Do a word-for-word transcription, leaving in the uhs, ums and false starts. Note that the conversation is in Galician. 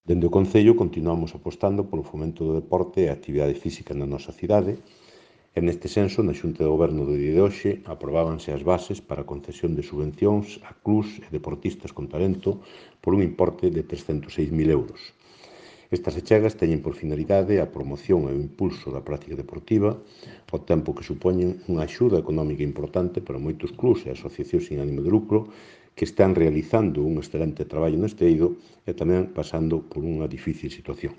Dende o Concello continuamos apostando polo fomento do deporte e a actividade física na nosa cidade e neste senso na Xunta de Goberno do día de hoxe aprobábanse as bases para a concesión de subvencións a clubs e deportistas con talento por un importe de trescentos seis mil euros. Estas achegas teñen por finalidade a promoción e o impulso da práctica deportiva, ao tempo que supoñen unha axuda económica importante para moitos clubs e asociacións sin ánimo de lucro que están realizando un excelente traballo neste eido e tamén pasando por unha difícil situación.